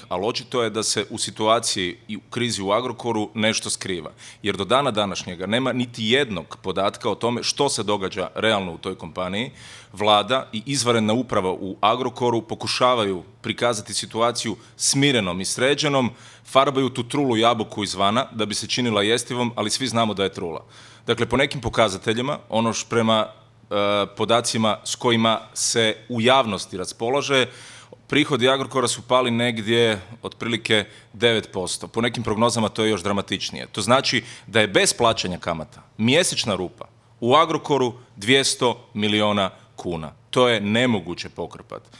ali očito je da se u situaciji i u krizi u Agrokoru nešto skriva. Jer do dana današnjega nema niti jednog podatka o tome što se događa realno u toj kompaniji. Vlada i izvanredna uprava u Agrokoru pokušavaju prikazati situaciju smirenom i sređenom, farbaju tu trulu jabuku izvana da bi se činila jestivom, ali svi znamo da je trula. Dakle, po nekim pokazateljima, prema podacima s kojima se u javnosti raspolaže, prihodi Agrokora su pali negdje otprilike 9%. Po nekim prognozama to je još dramatičnije. To znači da je bez plaćanja kamata mjesečna rupa u Agrokoru 200 milijuna kuna. To je nemoguće pokrpati.